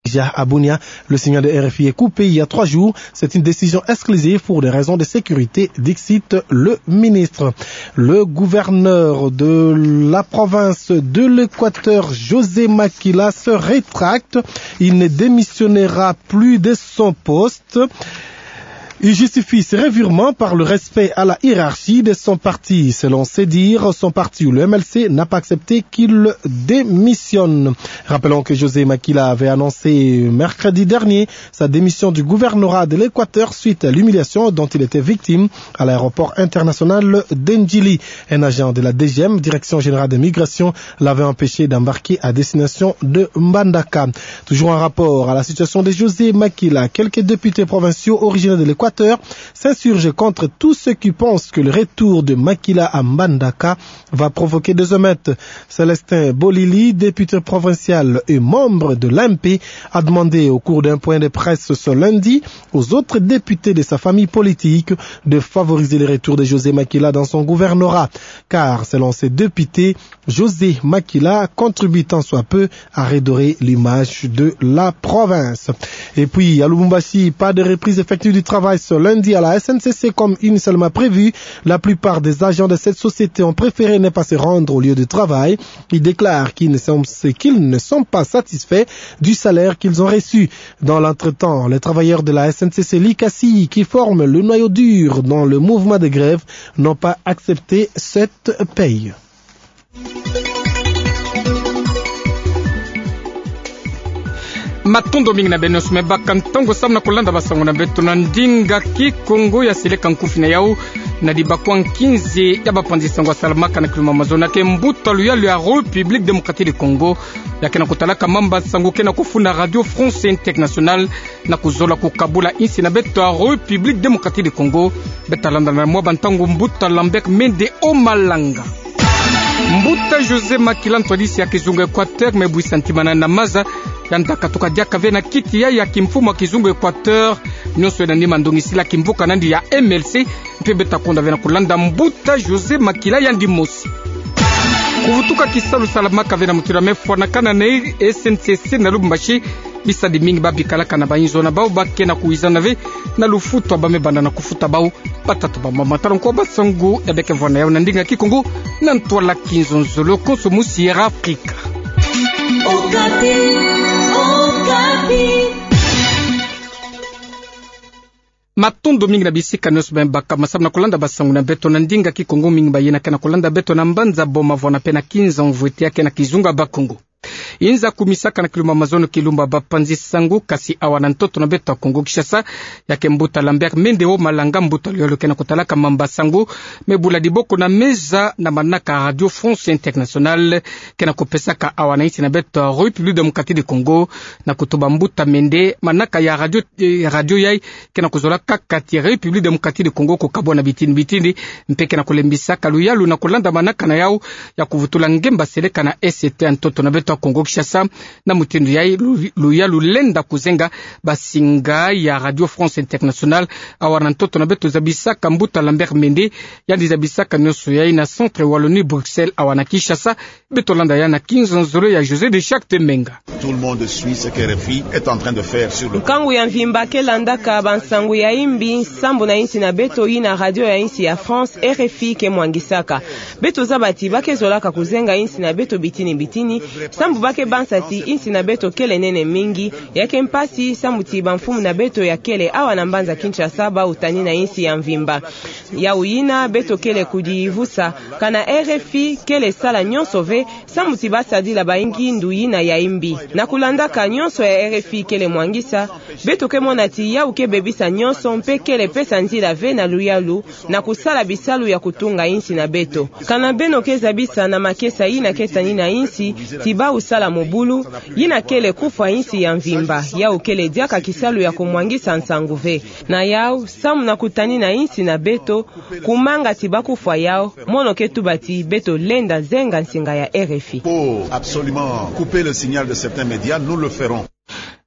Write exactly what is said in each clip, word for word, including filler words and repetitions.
Déjà à Bunia, le signal de R F I est coupé il y a trois jours. C'est une décision exclusive pour des raisons de sécurité, dixit le ministre. Le gouverneur de la province de l'Équateur, José Makila, se rétracte. Il ne démissionnera plus de son poste. Il justifie ce revirement par le respect à la hiérarchie de son parti. Selon ses dires, son parti ou le M L C n'a pas accepté qu'il démissionne. Rappelons que José Makila avait annoncé mercredi dernier sa démission du gouvernorat de l'Équateur suite à l'humiliation dont il était victime à l'aéroport international de Ndjili. Un agent de la D G M, Direction Générale des Migrations, l'avait empêché d'embarquer à destination de Mbandaka. Toujours en rapport à la situation de José Makila, quelques députés provinciaux originaires de l'Équateur s'insurgent contre tous ceux qui pensent que le retour de Makila à Mbandaka va provoquer des émeutes. Célestin Bolili, député provincial et membre de l'A M P, a demandé au cours d'un point de presse ce lundi aux autres députés de sa famille politique de favoriser le retour de José Makila dans son gouvernorat. Car, selon ces députés, José Makila contribue tant soit peu à redorer l'image de la province. Et puis, à Lubumbashi, pas de reprise effective du travail ce lundi à la S N C C comme initialement prévu. La plupart des agents de cette société ont préféré ne pas se rendre au lieu de travail. Ils déclarent qu'ils ne sont, qu'ils ne sont pas satisfaits du salaire qu'ils ont reçu. Dans l'entretemps, les travailleurs de la S N C C Likasi, qui forment le noyau dur dans le mouvement de grève, n'ont pas accepté cette paye. Matondo mingi na beno nyonso me baka ntangu samu na kulanda basango na beto na ndinga Kikongo ya seleka nkufi na yau. Na dibakwa nkinzi ya bapanzi sango ya salamaka na kilumbu ya mazono ke mbuta luyalu ya République Démocratique du Congo, ya ke na kutalaka mamba sango ke na kufuna Radio France Internationale, na kuzola kukabula insi na beto ya République Démocratique du Congo. Beta landa na mwa bantangu mbuta Lambert Mende Omalanga. Mbuta José Makila, ntwadisi ya kizunga Équateur, me bwisa ntima na maza, yandi katuka diaka ve na kiti ya, ya kimfumu ya kizunga Équateur, nyonso na nima ndongisila kimvuka na yandi ya M L C, mpe beta konda ve na kulanda mbuta José Makila yandi mosi. Kuvutuka kisalu salamaka ve na mutindu ya me fwanakana na S N C C na Lubumbashi, bisadi mingi ba bikalaka na bayinzo na bau ba ke na kuwizana ve na lufutu ba me banda na kufuta bau. Batata, bamama, tala nko basango ya beke vwa na yau na ndinga Kikongo, na ntwala kinzonzolo konso mu Sierra Africa. Okapi, Okapi. Matondo mingi na bisika nyonso ba me baka masamu na kulanda basango na beto na ndinga Kikongo, mingi ba yina ke na kulanda beto na mbanza Boma-Wana mpe na Kinzonzolo ya ke na kizunga Bakongo. Inza kumisaka na kilumbu ya mazono kilumbu ya bapanzi sango, kasi awa na ntoto na beto ya Kongo-Kinshasa, ya ke mbuta Lambert Mende Omalanga, mbuta luyalu ke na kutalaka mamba sango, me bula diboko na meza na manaka Radio France Internationale, ke na kupesaka awa na insi na beto ya République Démocratique du Congo, na kutuba mbuta Mende, manaka ya radio, eh, radio yai, ke na kuzola kaka ti République Démocratique du Congo kukabwa na bitini bitini, mpe ke na kulembisaka luyalu na kulanda manaka na yau ya kuvutula ngemba seleka na Est ya ntoto na beto ya Kongo-Kinshasa. Na mutindu yai lu-, luyalu lenda kuzenga basinga ya Radio France Internationale awa na ntoto na beto, zabisaka mbuta Lambert Mende, yandi zabisaka nyonso yai na Centre Wallonie Bruxelles awa na Kinshasa. Beto landa ya na kinzonzolo ya José de Charte Menga. Tout le monde suit ce que R F I est en train de faire sur le... Nkangu ya mvimba ke landaka bansango ya imbi sambu na insi na beto, yina radio ya insi ya France, R F I, ke mwangisaka. Beto zaba ti ba ke zolaka kuzenga insi na beto bitini bitini, sambu ba ke banza ti insi na beto kele nene mingi, ya ke mpasi sambu ti bamfumu na beto ya kele awa na mbanza Kinshasa ba utani na insi ya mvimba. Yau yina beto kele kudivusa, kana R F I kele sala nyonso ve sambu ti ba sadila bayingi ndu yina ya imbi. Na kulandaka nyonso ya R F I kele mwangisa, beto ke mona ti yau ke bebisa nyonso mpe kele pesa nzila ve na luyalu na kusala bisalu ya kutunga insi na beto. Kana beno ke zabisa na makesa yina ke tani na insi ti bau sala mobulu, yina kele kufwa insi ya mvimba, yau kele diaka kisalu ya kumwangisa nsangu ve. Na yau, samu na kutani na insi na beto, kumanga ti ba kufwa yau, mono ke tuba ti beto lenda zenga nsinga ya R F I. Pour absolument couper le signal de certains médias, nous le ferons.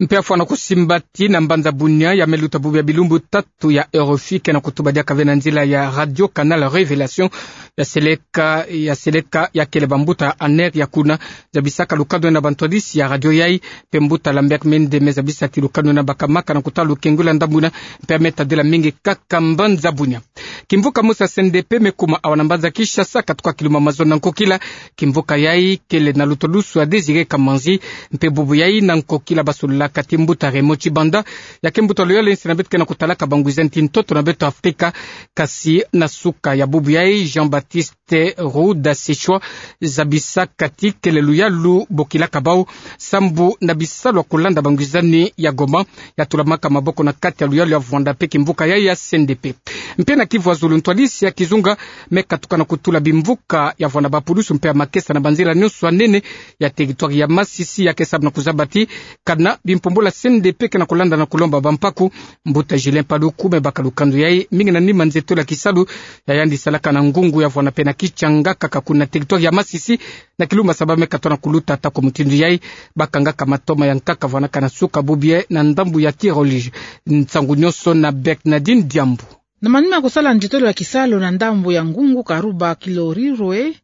Mpe afwana kusimba ti na mbanza bunia ya me luta bubu ya bilumbu tatu ya RFI ke na kutuba diaka ve na nzila ya Radio Canal Révélation, ya seleka, ya seleka ya kele bambuta ANR ya kuna, zabisaka lukanu na bantwadisi ya radio yai, mpe mbuta Lambert Mende me zabisa ti lukanu na bakamaka na kutala lukengula ndambu ina, mpe a me tadila mingi kaka mbanza bunia. Kimvuka mosi ya CNDP me kuma awa na mbanza Kinshasa, katuka kiluma mazono na nkokila. Kimvuka yai kele na lutolusu ya Désiré Kamanzi, mpe bubu yai na nkokila basololaka ti mbuta Raymond Tshibanda, ya ke mbuta luyaluyali na beto ke na kutalaka bangwizani ti ntoto na beto Afrika, kasi na suka ya bubu yai Jean-Baptiste Ruda Sechwa zabisaka ti kele luyalu bokilaka bau sambu na bisalu ya kulanda bangwizani ya Goma, ya tulamaka maboko na kati ya luyalu ya vwanda mpe kimvuka yai ya CNDP. Mpe na Kivu ya zulu, ntwadisi ya kizunga me katuka na kutula bimvuka ya vwanda bapulusu mpe ya makesa na banzila nyonso ya nene ya territoire ya Masisi, ya ke samu na kuzaba ti kana bimpumbula CNDP ke na kulanda na kulomba bampaku. Mbuta Julien Paluku me baka lukanu yai mingi na nima nzietolo ya kisalu ya yandi salaka na Ngungu ya vwanda mpe na Kitshanga, kaka kuna territoire ya Masisi, na kilumbu ya saba me katuka na kuluta. Ata kwa mutindu yai, bakangaka matoma ya nkaka vwanaka na suka bubu yai na ndambu ya Tir au Large. Nsangu nyonso na Bernardine Diambu. Na manima ya kusala nzietolo ya kisalu na ndambu ya Ngungu, Karuba, Kilorirwe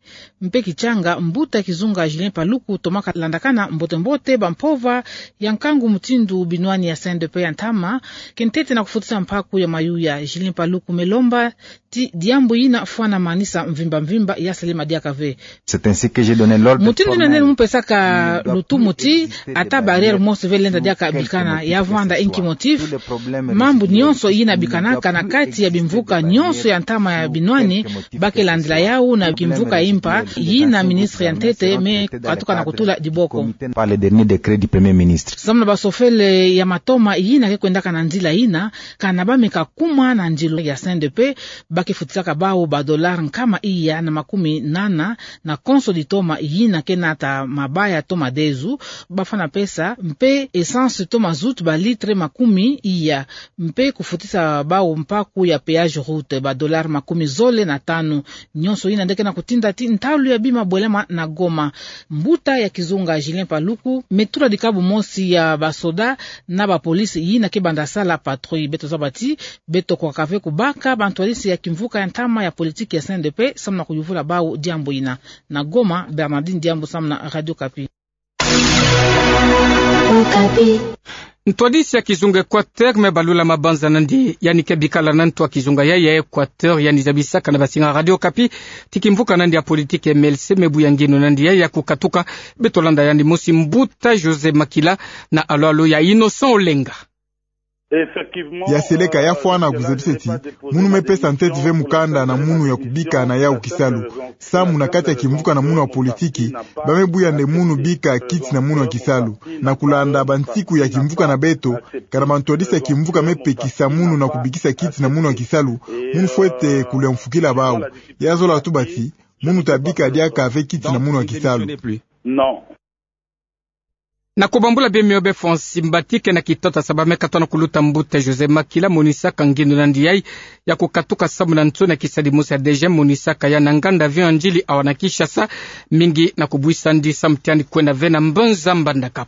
mpe Kitshanga, mbuta kizunga Julien Paluku tomaka landakana mbote-mbote bampova ya nkangu mutindu binwani ya CNDP ya ntama ke ntete na kufutisa mpaku ya mayuya. Julien Paluku me lomba ti diambu yina fwana manisa mvimba-mvimba, ya selema diaka ve. Mutindu yina nde mu pesaka lutumu ti ata barrière mosi ve lenda diaka bikana. Ya vwanda inki motif? Mambu nyonso yina bikanaka na kati ya bimvuka nyonso ya ntama ya binwani, ba ke landila yau na kimvuka impa yina ministre ya ntete me katuka na kutula diboko. Samu na basofele ya matoma yina ke kwendaka na nzila yina, kana ba me kakuma na nzila ya CNDP, ba ke futisaka bau ba dollars nkama iya na makumi nana na konso ditoma yina ke nata mabaya to madezu, ba fwana pesa mpe essence to mazout ba litre makumi iya, mpe kufutisa bau mpaku ya péage route ba dollars makumi zole na tanu. Nyonso yina nde ke na kutinda ti ntalu ya bima bwelama na Goma. Mbuta ya kizunga Julien Paluku me tula dikabu mosi ya basoda na bapolisi yina ke banda sala patrouille. Beto zaba ti beto kwaka ve kubaka bantwadisi ya kimvuka ya ntama ya politiki ya CNDP samu na kuyuvula bau diambu yina. Na Goma, Bernardine Diambu samu na Radio Okapi. Ntwadisi ya kizunga Équateur me balula mabanza nandi, yandi ke bikala na ntu ya kizunga yai ya Équateur, yandi zabisaka na basinga Radio Okapi ti kimvuka nandi ya politiki MLC me buya nginu nandi yai ya kukatuka. Beto landa yandi mosi, mbuta José Makila, na alu-alu ya Innocent Olenga. Ya seleka, ya fwana kuzabisa ti munu me pesa ntete ve mukanda na munu ya kubika na yau kisalu. Samu na kati ya kimvuka na munu ya politiki, ba me buya nde munu bika kiti na munu ya kisalu. Na kulanda bansiku ya kimvuka na beto, kana bantwadisi ya kimvuka me pekisa munu na kubikisa kiti na munu ya kisalu, munu fwete kulemfukila bau. Ya zola tuba ti munu ta bika diaka ve kiti na munu ya kisalu. Na kubambula bie mio be fonsi mbati ke na kitata saba me katona kuluta, mbuta José Makila monisaka nginu nandi yai ya kukatuka samu na nsoni ya kisadi mosi ya DGM monisaka ya na nganda avion ya ndili awa na Kinshasa, mingi na kubwisa ndi samu ti yandi kwenda ve na mbanza Mbandaka.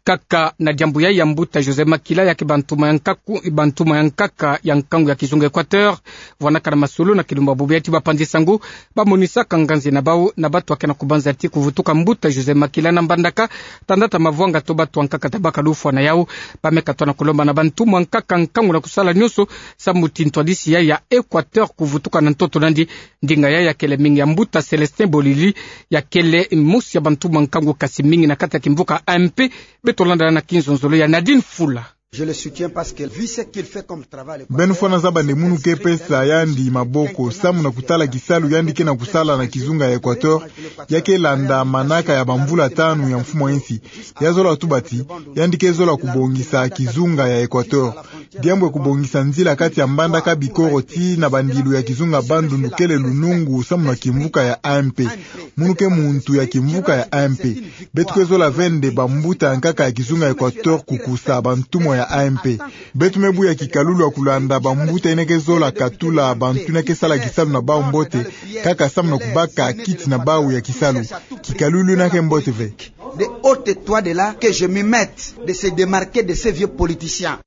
Kaka na diambu yai ya mbuta José Makila, ya ke bantuma ya nkaku, bantuma ya nkaka ya nkangu ya kizunga Équateur vwanaka na masolo na kilumbu bubu yai ti bapanzi sango ba monisaka nganzi na bau na batu ya ke na kubanza ti kuvutuka mbuta José Makila na Mbandaka, tanda ta mavwanga to batu ya nkaka ta baka lufwa na yau. Ba me katona kulomba na bantuma ya nkaka nkangu na kusala nyonso samu ti ntwadisi yai ya Équateur kuvutuka na ntoto nandi. Ndinga yai ya kele mingi ya mbuta Célestin Bolili, ya kele mosi ya bantuma ya nkangu kasi mingi na kati ya kimvuka A M P. Beto landa na kinzonzolo ya Nadine Fula. Beno fwana zaba nde munu ke pesa yandi maboko samu na kutala kisalu yandi ke na kusala na kizunga ya Équateur, ya ke landa manaka ya bamvula tanu ya mfumu ya insi. Ya zola tuba ti yandi ke zola kubongisa kizunga ya Équateur. Diambu ya kubongisa nzila kati ya Mbandaka Bikoro tii na bandilu ya kizunga Bandundu kele lunungu samu na kimvuka ya A M P. Munu ke muntu ya kimvuka ya A M P. Beto ke zola ve nde bambuta ya nkaka ya kizunga Équateur kukusa bantumwa ya A M P. Beto me buya kikalulu ya kulanda bambuta yina ke zola katula bantu yina ke sala kisalu na bau mbote, kaka samu na kubaka kiti na bau ya kisalu. Kikalulu yina ke mbote ve. de haute étoile de là que je me mette de se démarquer de ces vieux politiciens.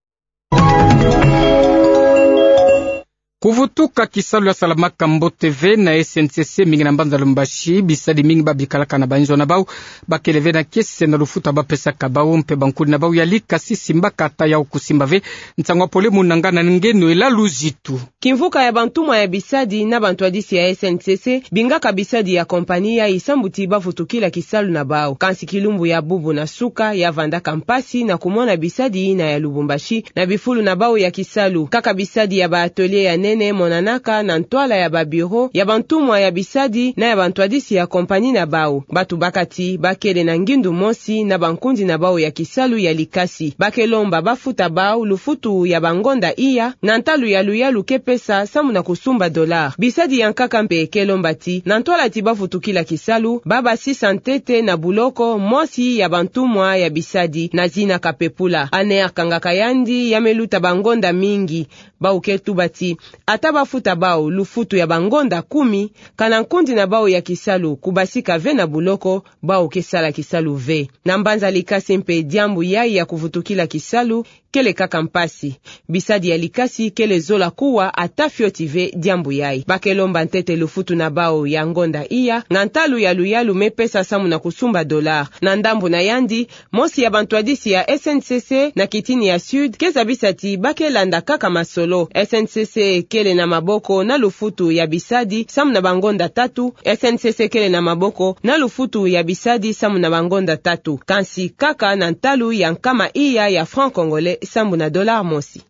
Kuvutuka kisalu ya salamaka mbote ve na S N C C mingi na mbanza Lubumbashi. Bisadi mingi babikalaka na banzo na bau bakele ve na kiese na lufutu bapesaka bau, mpe bankundi na bau ya likasi simbaka ata yau kusimba ve. Nsangu ya pole mu nanga na nge Noëlla Luzitu. Kimvuka ya bantumwa ya bisadi na bantwadisi ya S N C C bingaka bisadi ya kompani yayi sambu ti bavutukila kisalu na bau. Kansi kilumbu ya bubu na suka ya vandaka mpasi na kumona bisadi yina ya Lubumbashi na bifulu na bau ya kisalu. Kaka bisadi ya ba atelier ya nene monanaka na ntwala ya ba bureau ya bantumwa ya bisadi na ya bantwadisi ya kompani na bau. Batu bakati bakele na ngindu mosi na bankundi na bau ya kisalu ya likasi. Bake lomba bafuta bau lufutu ya bangonda iya na ntalu ya luyalu ke pesa samu na kusumba dollar. Bisadi ya nkaka mpe ke lomba ti na ntwala ti bavutukila kisalu, babasisa ntete na buloko mosi ya bantumwa ya bisadi na zina kapepula. Ane akangaka yandi ya me luta bangonda mingi. Bau ke tuba ti ata bafuta bau lufutu ya bangonda kumi, kana nkundi na bau ya kisalu kubasika ve na buloko, bau ke sala kisalu ve. Na mbanza likasi mpe diambu yayi ya kuvutukila kisalu kele kaka mpasi. Bisadi ya likasi kele zola kuwa ata fioti ve diambu yayi. Bake lomba ntete lufutu na bau ya ngonda iya na ntalu ya luyalu me pesa samu na kusumba dollar. Na ndambu na yandi, mosi ya bantwadisi ya S N C C na kitini ya Sud ke zabisa ti bake landa kaka masolo. S N C C kele na maboko na lufutu ya bisadi samu na bangonda tatu. S N C C kele na maboko na lufutu ya bisadi samu na bangonda tatu, kansi kaka na ntalu ya nkama iya ya franc congolais sambu na dollar mosi.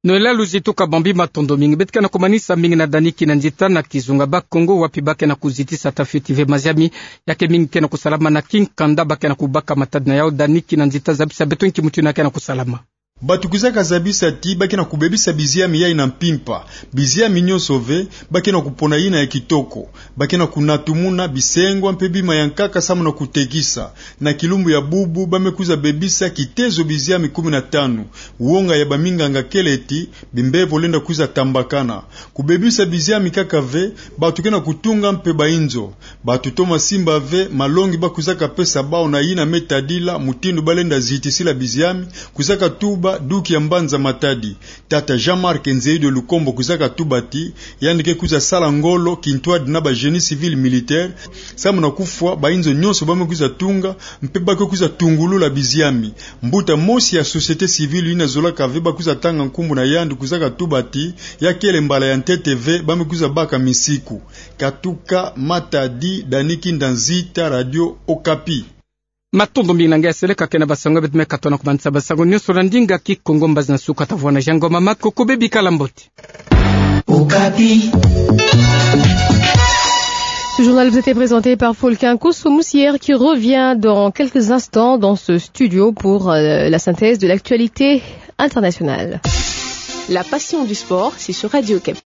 Noëlla Luzitu, kabambi matondo mingi. Beto ke na kumanisa mingi na Dany Kinanzita na kizunga Bakongo, wapi bake na kuzitisa ata fioti ve maziami. Ya ke mingi ke na kusalama na kinkanda, bake na kubaka matadi na yau. Dany Kinanzita, zabisa beto nki mutu yina ke na kusalama. Batu kwizaka zabisa ti bake na kubebisa biziami yayi na mpimpa. Biziami nyonso ve bake na kupona yina ya kitoko. Bake na kunatumuna bisengwa mpe bima ya nkaka samu na kutekisa. Na kilumbu ya bubu ba me kwiza bebisa kitezo biziami kumi na tanu. Wonga ya baminganga kele ti bimbevo lenda kwiza tambakana. Kubebisa biziami kaka ve, batu ke na kutunga mpe bainzo. Batu toma simba ve malongi ba kwizaka pesa bau na yina me tadila mutindu ba lenda zitisila biziami, kwizaka tuba Duki ya Mbanza Matadi. Tata Jean-Marc Nzeyi de Lukombo kwizaka tuba ti yandi ke kwiza sala ngolo kintwadi na ba génie civil militaire, samu na kufwa bainzo nyonso ba me kwiza tunga, mpe ba ke kwiza tungulula biziami. Mbuta mosi ya société civile yina zolaka ve ba kwiza tanga nkumbu na yandi kwizaka tuba ti ya kele mbala ya ntete ve ba me kwiza baka misiku. Katuka Matadi, Dany Kinanzita, Radio Okapi. Matondo mingi na nge ya seleka ke na basango beto me katono kumanisa basango nyonso na ndinga Kikongo. Mbazi na suka ta vwanda Jean Ngoma Makoko, bebi kala mbote. Okapi. Ce journal vous était présenté par Fulkin Kosso Moussière qui revient dans quelques instants dans ce studio pour, euh, la synthèse de l'actualité internationale. La passion du sport, c'est sur Radio Okapi.